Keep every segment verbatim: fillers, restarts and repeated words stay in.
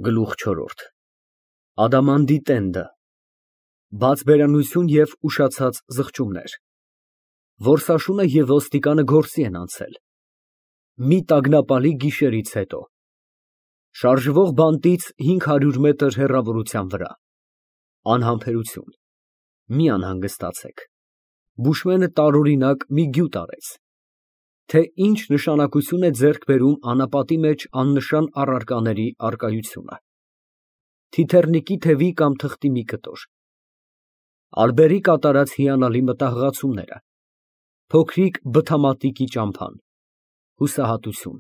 Գլուխ չորրորդ ԱԴԱՄԱՆՏԻ տենդը, բաց բերանություն և ուշացած զղջումներ, որսաշունը և ոստիկանը գործի են անցել, մի տագնապալի գիշերից հետո, շարժվող բանտից հինգ հարյուր մետր հեռավորության վրա, անհամբերություն, մի անհանգստացեք, Բուշմենը տարօրինակ մի գյուտ արեց, թե ինչ նշանակություն է ձեռք բերում անապատի մեջ աննշան առարկաների առկայությունը, թիթեռնիկի թևի կամ թղթի մի կտոր, ալբերի կատարած հիանալի մտահղացումները, փոքրիկ բթամատիկի ճամփան, հուսահատություն,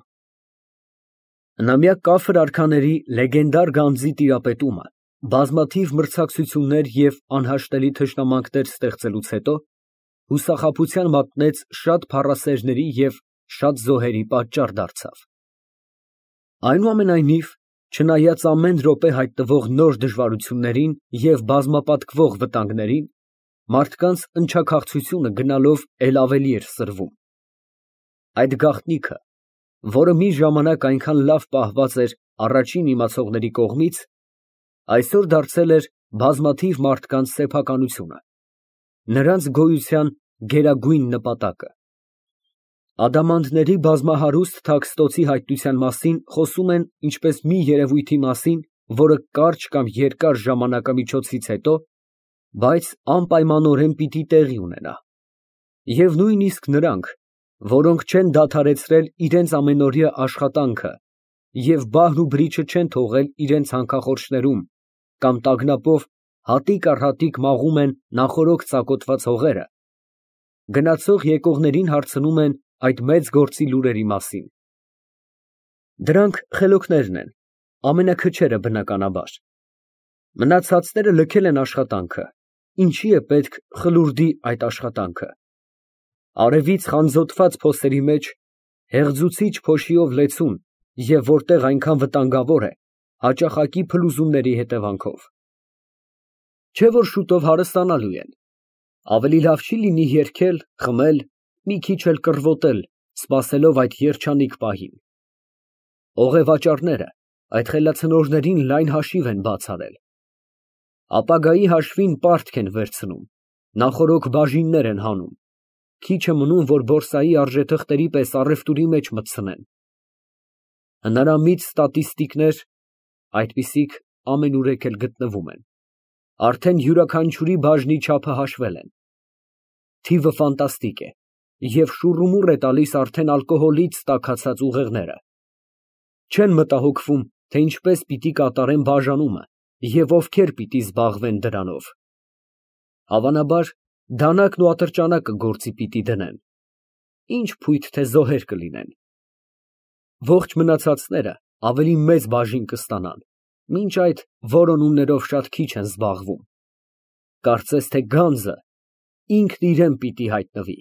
հնամյա կաֆր արքաների լեգենդար գանձի տիրապետումը, բազմաթիվ մրցակցություններ և անհաշտելի թշնամանքներ ստեղծելուց հետո հուսախաբության մատնեց շատ փառասերների և շատ զոհերի պատճառ դարձավ։ Այնուամենայնիվ, չնայած ամեն րոպե հայտնվող նոր դժվարություններին և բազմապատկվող վտանգներին, մարդկանց ընչաքաղցությունը գնալով էլ ավելի էր սրվում։ Այդ գաղտնիքը, որը մի ժամանակ այնքան լավ պահված էր առաջին իմացողների կողմից, այսօր դարձել էր բազմաթիվ մարդկանց սեփականությունը, նրանց գոյության գերագույն նպատակը։ Ադամանդների բազմահարուստ թաքստոցի հայտնության մասին խոսում են ինչպես մի երևույթի մասին, որը կարճ կամ երկար ժամանակամիջոցից հետո, բայց անպայմանորեն պիտի տեղի ունենա, և նույնիսկ նրանք, որոնք չեն դադարեցրել իրենց ամենօրյա աշխատանքը և բահր ու բրիչը չեն թողել իրենց հանքախորշներում կամ տագնապով հատիկ առ հատիկ մաղում են նախօրոք ծակոտված հողերը, գնացող եկողներին հարցնում են այդ մեծ գործի լուրերի մասին։ Դրանք խելոքներն են, ամենաքչերը բնականաբար, մնացածները լքել են աշխատանքը, ինչի է պետք խլուրդի այդ աշխատանքը։ Արևից խանձոտված փոսերի մեջ հեղձուցիչ փոշիով լեցուն և որտեղ այնքան վտանգավոր է, հաճախակի փլուզումների հետևանքով։ Չէ՞ որ շուտով հարստանալու են, ավելի լավ չի լինի երգել, խմել, մի քիչ էլ կռվոտել, սպասելով այդ երջանիկ պահին։ Օղևաճառները այդ խելացնորներին լայն հաշիվ են բաց արել, ապագայի հաշվին պարտք են վերցնում, նախօրոք բաժիններ են հանում, քիչ է մնում, որ բորսայի արժեթղթերի պես առևտուրի մեջ մտցնեն։ Հնարամիտ ստատիստիկներ (այդպիսիք ամենուրեք էլ գտնվում են) արդեն յուրաքանչյուրի բաժնի չափը հաշվել են։ Թիվը ֆանտաստիկ է և շուռումուռ է տալիս արդեն ալկոհոլից տաքացած ուղեղները։ Չեն մտահոգվում, թե ինչպես պիտի կատարեն բաժանումը և ովքեր պիտի զբաղվեն դրանով։ Հավանաբար, դանակն ու ատրճանակը գործի պիտի դնեն, ինչ փույթ թե զոհեր կլինեն։ Ողջ մնացածները ավելի մեծ բաժին կստանան, մինչ այդ որոնումներով շատ քիչ են զբաղվում։ Կարծես թե գանձը ինքն իրան պիտի հայտնվի։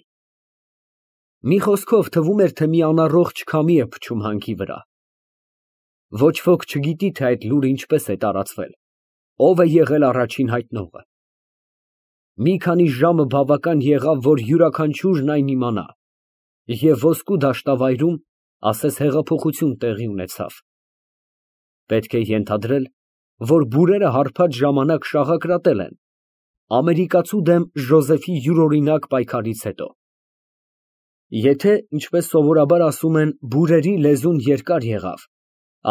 Մի խոսքով, թվում էր, թե մի անառողջ քամի է փչում հանքի վրա։ Ոչ ոք չգիտի, թե այդ լուրը ինչպես է տարածվել, ով է եղել առաջին հայտնողը։ Մի քանի ժամը բավական եղավ, որ յուրաքանչյուրն այն իմանա, և ոսկու դաշտավայրում ասես հեղափոխություն տեղի ունեցավ։ Պետք է ենթադրել, որ բուրերը հարբած ժամանակ շաղակրատել են ամերիկացու դեմ Ժոզեֆի յուրօրինակ պայքարից հետո։ Եթե, ինչպես սովորաբար ասում են, բուրերի լեզուն երկար եղավ,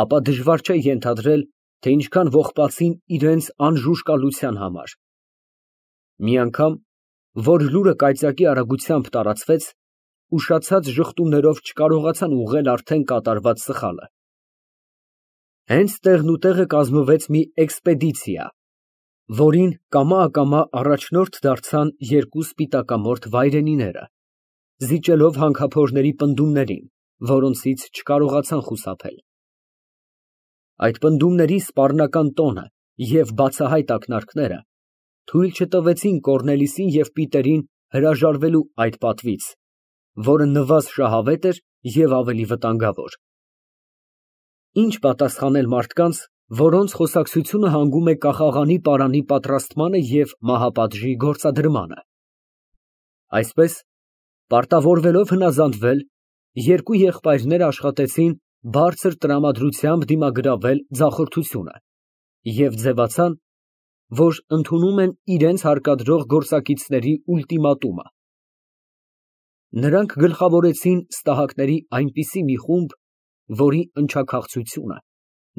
ապա դժվար չէ ենթադրել, թե ինչքան ողբացին իրենց անժուժկալության համար։ Մի անգամ, որ լուրը կայծակի արագությամբ տարածվեց, ուշացած ժխտումներով չկարողացան ուղղել արդեն կատարված սխալը։ Հենց տեղնուտեղը կազմվեց մի էքսպեդիցիա, որին կամա֊ակամա առաջնորդ դարձան երկու սպիտակամորթ վայրենիները, զիջելով հանքափորների պնդումներին, որոնցից չկարողացան խուսափել։ Այդ պնդումների սպառնական տոնը և բացահայտ ակնարկները թույլ չտվեցին Կոռնելիսին և Պիտերին հրաժարվելու այդ պատվից, որը նվազ շահավետ էր և ավելի վտանգավոր։ Ինչ պատասխանել մարդկանց, որոնց խոսակցությունը հանգում է կախաղանի պարանի պատրաստմանը և մահապատժի գործադրմանը։ Այսպես, պարտավորվելով հնազանդվել, երկու եղբայրները աշխատեցին բարձր տրամադրությամբ դիմագրավել ձախորդությունը և ձևացան, որ ընդունում են իրենց հարկադրող գործակիցների ուլտիմատումը։ Նրանք գլխավորեցին ստահակների այնպիսի մի խումբ, որի ընչաքաղցությունը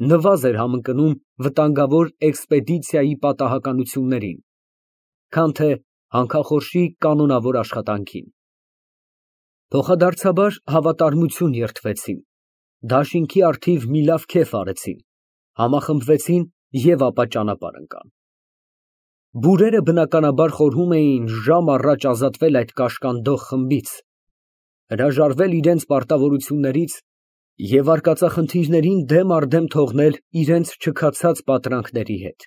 նվազ էր համընկնում վտանգավոր էքսպեդիցիայի պատահականություններին, քան թե հանքախորշի կանոնավոր աշխատանքին։ Փոխադարձաբար հավատարմություն երդվեցին, դաշինքի առթիվ մի լավ քեֆ արեցին, համախմբվեցին և ապա ճանապարհ ընկան։ Բուրերը բնականաբար խորհում էին ժամ առաջ ազատվել այդ կաշկանդող խմբից, հրաժարվել իրենց պարտավորություններից և արկածախնդիրներին դեմ առ դեմ թողնել իրենց չքացած պատրանքների հետ։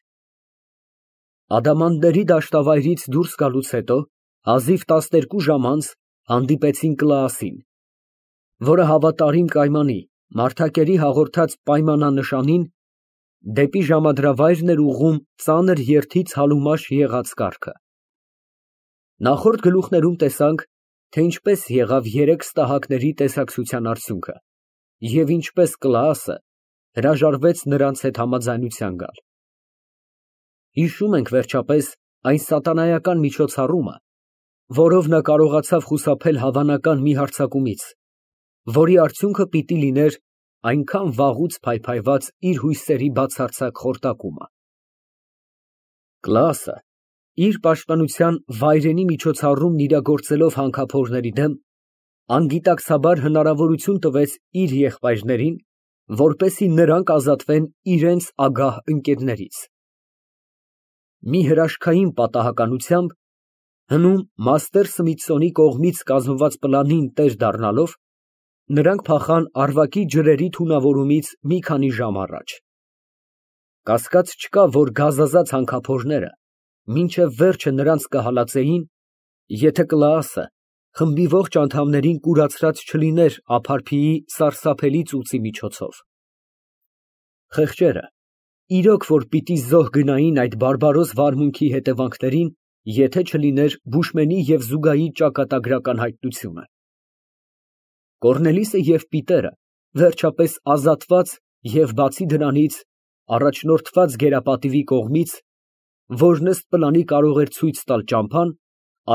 Ադամանդների դաշտավայրից դուրս գալուց հետո հազիվ տասներկու ժամ անց հանդիպեցին Կլաասին, որը հավատարիմ կայմանի, մարդակերի հաղորդած պայմանանշանին, դեպի ժամադրավայրն էր ուղղում ծանր երդից հալումաշ եղած կառքը։ Նախորդ գլուխներում տեսանք, թե ինչպես եղավ երեք ստահակների տեսակցության արդյունքը և ինչպես Կլաասը հրաժարվեց նրանց հետ համաձայնության գալ։ Հիշում ենք, վերջապես, այն սատանայական միջոցառումը, որով նա կարողացավ խուսափել հավանական մի հարձակումից, որի արդյունքը պիտի լիներ այնքան վաղուց փայփայված իր հույսերի բացարձակ խորտակումը։ Կլաասը իր պաշտպանության վայրենի միջոցառումն իրագործելով հանքափորների դեմ, անգիտակցաբար հնարավորություն տվեց իր եղբայրներին, որպեսզի նրանք ազատվեն իրենց ագահ ընկերներից։ Մի հրաշքային պատահականությամբ, հնում մաստեր Սմիթսոնի կողմից կազմված պլանին տեր դառնալով, նրանք փախան Արվակի ջրերի թունավորումից մի քանի ժամ առաջ։ Կասկած չկա, որ գազազած հանքափորները մինչև վերջը նրանց կհալածեին, եթե Կլաասը խմբի ողջ անդամներին կուրացրած չլիներ Ափարփիի սարսափելի ծուծի միջոցով։ Խեղճերը իրոք որ պիտի զոհ գնային այդ բարբարոս վարմունքի հետևանքներին, եթե չլիներ Բուշմենի և Զուգայի ճակատագրական հայտնությունը։ Կոռնելիսը և Պիտերը, վերջապես ազատված և բացի դրանից, առաջնորդված գերապատիվի կողմից, որն ըստ պլանի կարող էր ցույց տալ ճամփան,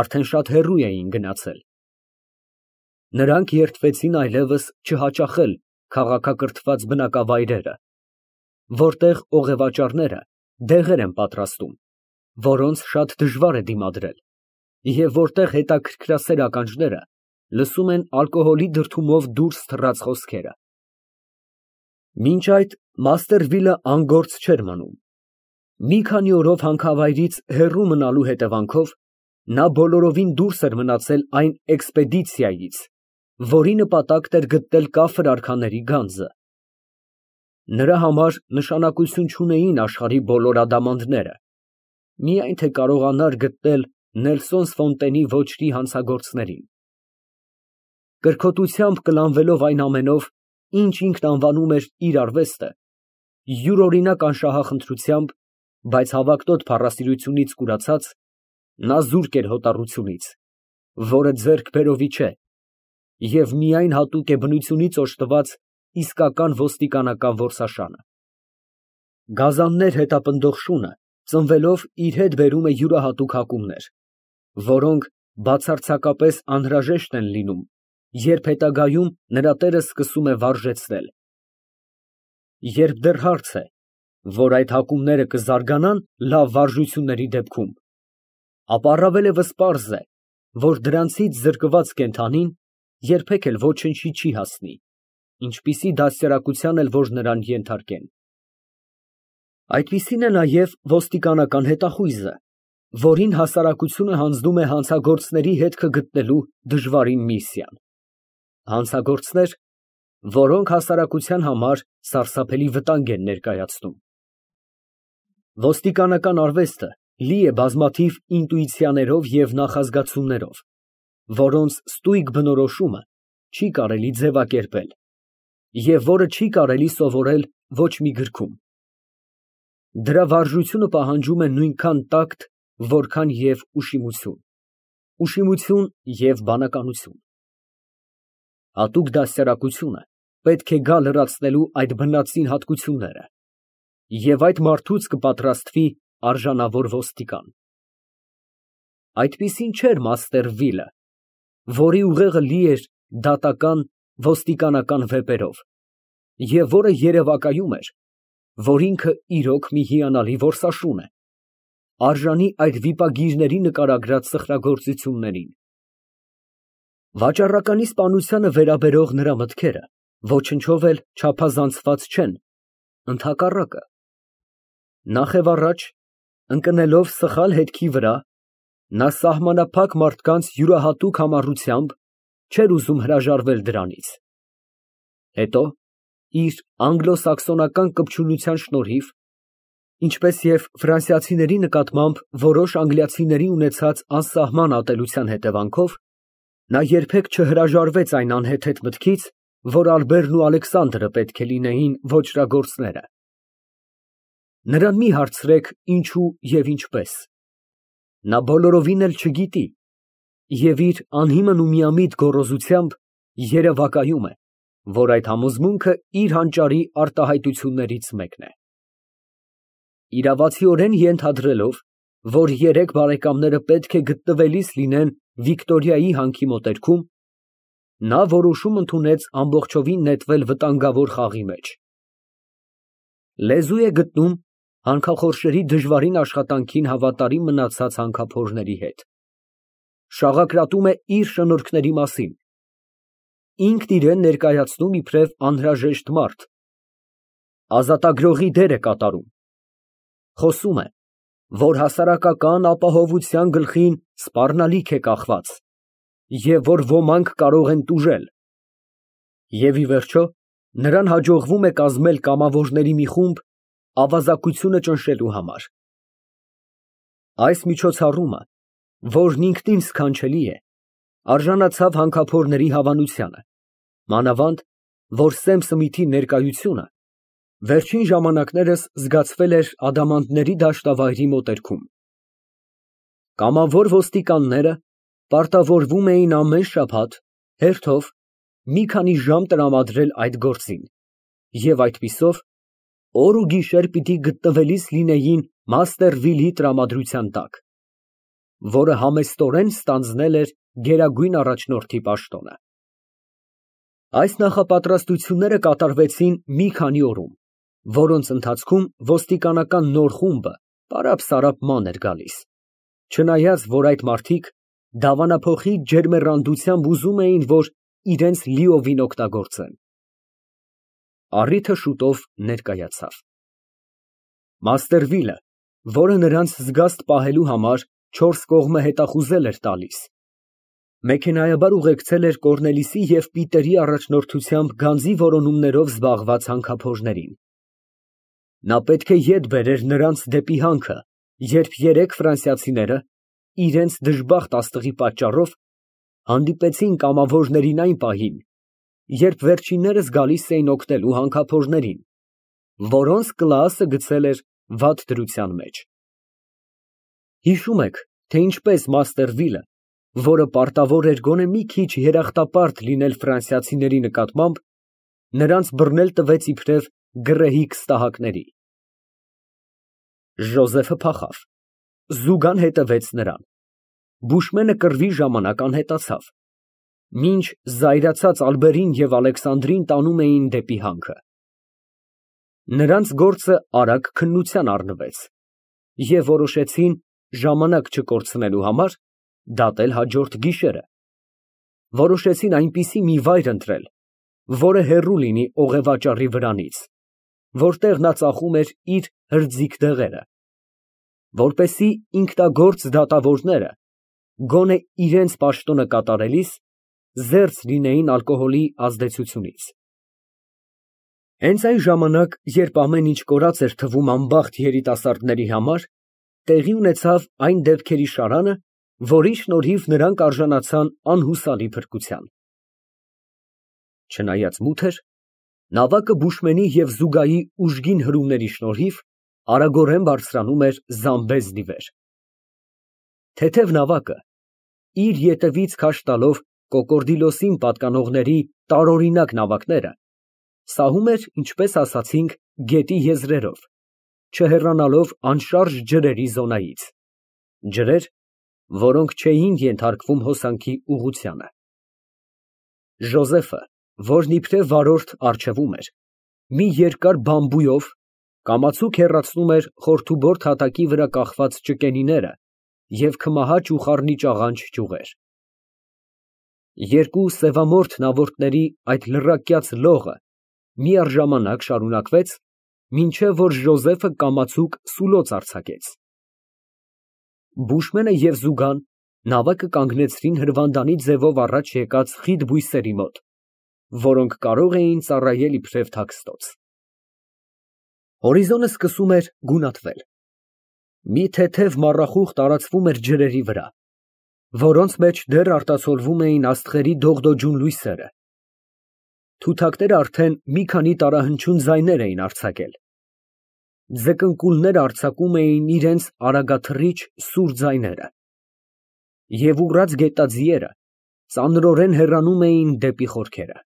արդեն շատ հեռու էին գնացել։ Նրանք երդվեցին այլևս չհաճախել քաղաքակրթված բնակավայրերը, որտեղ օղևաճառները դեղեր են պատրաստում, որոնց շատ դժվար է դիմադրել, և որտեղ հետաքրքրասեր ականջները լսում են ալկոհոլի դրդումով դուրս թռած խոսքերը։ Մինչ այդ Մաստերվիլը անգործ չէր մնում։ Մի քանի օրով հանքավայրից հեռու մնալու հետևանքով նա բոլորովին դուրս էր մնացել այն էքսպեդիցիայից, որի նպատակն էր գտնել կաֆր արքաների գանձը։ Նրա համար նշանակություն չունեին աշխարհի բոլոր ադամանդները, միայն թե կարողանար գտնել Նելսոն Սֆոնտենի ոճրի հանցագործներին։ Կրքոտությամբ կլանվելով այն ամենով, ինչ ինքն անվանում էր իր արվեստը, յուրօրինակ անշահախնդրությամբ, բայց հավակնոտ փառասիրությունից կուրացած, նա զուրկ էր հոտառությունից, որը ձեռքբերովի չէ և միայն հատուկ է բնությունից օժտված իսկական ոստիկանական որսաշանը։ Գազաններ հետապնդող շունը ծնվելով իր հետ բերում է յուրահատուկ հակումներ, որոնք բացարձակապես անհրաժեշտ են լինում, երբ հետագայում նրա տերը սկսում է վարժեցնել։ Երբ դեռ հարց է, որ այդ հակումները կզարգանան լավ վարժությունների դեպքում, ապա առավելևս պարզ է, որ դրանցից զրկված կենդանին երբեք էլ ոչնչի չի հասնի, ինչպիսի դաստիարակության էլ որ նրան ենթարկեն։ Այդպիսին է նաև ոստիկանական հետախույզը, որին հասարակությունը հանձնում է հանցագործների հետքը գտնելու դժվարին միսիան։ Հանցագործներ, որոնք հասարակության համար սարսափելի վտանգ են ներկայացնում։ Ոստիկանական արվեստը լի է բազմաթիվ ինտուիցիաներով և նախազգացումներով, որոնց ստույգ բնորոշումը չի կարելի ձևակերպել և որը չի կարելի սովորել ոչ մի գրքում։ Դրա վարժությունը պահանջում է նույնքան տակտ, որքան և ուշիմություն, ուշիմություն և բանականություն։ Հատուկ դաստիարակությունը պետք է գա լրացնելու այդ բնածին հատկությունները, և այդ մարդուց կպատրաստվի արժանավոր ոստիկան։ Այդպիսին չէր մաստեր Վիլը, որի ուղեղը լի էր դատական, ոստիկանական վեպերով, և որը երևակայում էր, որ ինքը իրոք մի հիանալի որսաշուն է, արժանի այդ վիպագիրների նկարագրած սխրագործություններին։ Վաճառականի սպանությանը վերաբերող նրա մտքերը ոչնչով էլ չափազանցված չեն, ընդհակառակը, նախևառաջ, ընկնելով սխալ հետքի վրա, նա սահմանափակ մարդկանց յուրահատուկ համառությամբ չէր ուզում հրաժարվել դրանից, հետո, իր անգլո֊սաքսոնական կպչունության շնորհիվ, ինչպես և ֆրանսիացիների նկատմամբ որոշ անգլիացիների ունեցած անսահման ատելության հետևանքով, նա երբեք չհրաժարվեց այն անհեթեթ մտքից, որ Ալբերն ու Ալեքսանդրը պետք է լինեին ոճրագործները։ Նրան մի հարցրեք ինչու և ինչպես, նա բոլորովին էլ չգիտի և իր անհիմն ու միամիտ գոռոզությամբ երևակայում է, որ այդ համոզմունքը իր հանճարի արտահայտություններից մեկն է։ Իրավացիորեն ենթադրելով, որ երեք բարեկամները պետք է գտնվելիս լինեն Վիկտորիայի հանքի մոտերքում, նա որոշում ընդունեց ամբողջովին նետվել վտանգավոր խաղի մեջ։ Լեզու է գտնում հանքախորշերի դժվարին աշխատանքին հավատարիմ մնացած հանքափորների հետ, շաղակրատում է իր շնորհքների մասին, ինքն իրան ներկայացնում իբրև անհրաժեշտ մարդ, ազատագրողի դեր է կատարում, խոսում է, որ հասարակական ապահովության գլխին սպառնալիք է կախված, և որ ոմանք կարող են տուժել, և ի վերջո, նրան հաջողվում է կազմել կամավորների մի խումբ ավազակությունը ճնշելու համար։ Այս միջոցառումը, որն ինքնին սքանչելի է, արժանացավ հանքափորների հավանությանը, մանավանդ, որ Սեմ Սմիթի ներկայությունը վերջին ժամանակներս զգացվել էր Ադամանդների դաշտավայրի մոտերքում։ Կամավոր ոստիկանները պարտավորվում էին ամեն շաբաթ, հերթով, մի քանի ժամ տրամադրել այդ գործին և այդպիսով օր ու գիշեր պիտի գտնվելիս լինեին մաստեր Վիլի տրամադրության տակ, որը համեստորեն ստանձնել էր գերագույն առաջնորդի պաշտոնը։ Այս նախապատրաստությունները կատարվեցին մի քանի օրում, որոնց ընթացքում ոստիկանական նոր խումբը պարապ֊սարապ ման էր գալիս, չնայած, որ այդ մարդիկ դավանափոխի ջերմեռանդությամբ ուզում էին, որ իրենց լիովին օգտագործեն։ Առիթը շուտով ներկայացավ։ Մաստեր Վիլը, որը նրանց զգաստ պահելու համար չորս կողմը հետախուզել էր տալիս, մեքենայաբար ուղեկցել էր Կոռնելիուսի և Պիտերի առաջնորդությամբ գանձի որոնումներով զբաղված հանքափորներին։ Նա պետք է ետ բերեր նրանց դեպի հանքը, երբ երեք ֆրանսիացիները, իրենց դժբախտ աստղի պատճառով, հանդիպեցին կամավորներին այն պահին, երբ վերջիններս գալիս էին օգնելու հանքափորներին, որոնց կլասը գցել էր վատ դրության մեջ։ Հիշում եք, թե ինչպես մաստեր Վիլը, որը պարտավոր էր գոնե մի քիչ երախտապարտ լինել ֆրանսիացիների նկատմամբ, նրանց բռնել տվեց իբրև գռեհիկ ստահակների։ Ժոզեֆը փախավ, Զուգան հետևեց նրան, Բուշմենը կռվի ժամանակ անհետացավ, մինչ զայրացած Ալբերին և Ալեքսանդրին տանում էին դեպի հանքը։ Նրանց գործը արագ քննության առնվեց, և որոշեցին, ժամանակ չկորցնելու համար, դատել հաջորդ գիշերը, որոշեցին այնպիսի մի վայր ընտրել, որը հեռու լինի օղևաճառի վրանից, որտեղ նա ծախում էր իր հրձիկ դեղերը, որպեսզի ինքնագործ դատավորները, գոնե իրենց պաշտոնը կատարելիս, զերծ լինեին ալկոհոլի ազդեցությունից։ Հենց այն ժամանակ, երբ ամեն ինչ կորած էր թվում անբախտ երիտասարդների համար, տեղի ունեցավ այն դեպքերի շարանը, որի շնորհիվ նրանք արժանացան անհուսալի փրկության։ Չնայած մութ էր, նավակը Բուշմենի և Զուգայի ուժգին հրումների շնորհիվ արագորեն բարձրանում էր Զամբեզնի վեր։ Թեթև նավակը, իր ետևից քաշ տալով Կոկորդիլոսին պատկանողների տարօրինակ նավակները, Սահում էր, ինչպես ասացինք, գետի եզրերով, չհեռանալով անշարժ ջրերի զոնայից, ջրեր, որոնք չէին ենթարկվում հոսանքի ուղղությանը։ Ժոզեֆը, որն իբրև վարորդ առջևում էր, մի երկար բամբույով կամացուկ հեռացնում էր խորթուբորդ հատակի վրա կախված ճկենիները և քմահաճ ու խառնիճաղանճ ճյուղեր։ Երկու սևամորթ նավորդների այդ լռակյաց լողը միառժամանակ շարունակվեց, մինչև որ Ժոզեֆը կամացուկ սուլոց արձակեց։ Բուշմենը և Զուգան նավակը կանգնեցրին հրվանդանի ձևով առաջ եկած խիտ բույսերի մոտ, որոնք կարող էին ծառայել իբրև թաքստոց։ Հորիզոնը սկսում էր գունատվել։ Մի թեթև մառախուղ տարածվում էր ջրերի վրա, որոնց մեջ դեռ արտացոլվում էին աստղերի դողդոջուն լույսերը։ Թութակները արդեն մի քանի տարահնչյուն ձայներ էին արձակել։ Ձկնկուլները արձակում էին իրենց արագաթռիչ սուր ձայները, և ուռած գետաձիերը ծանրորեն հեռանում էին դեպի խորքերը։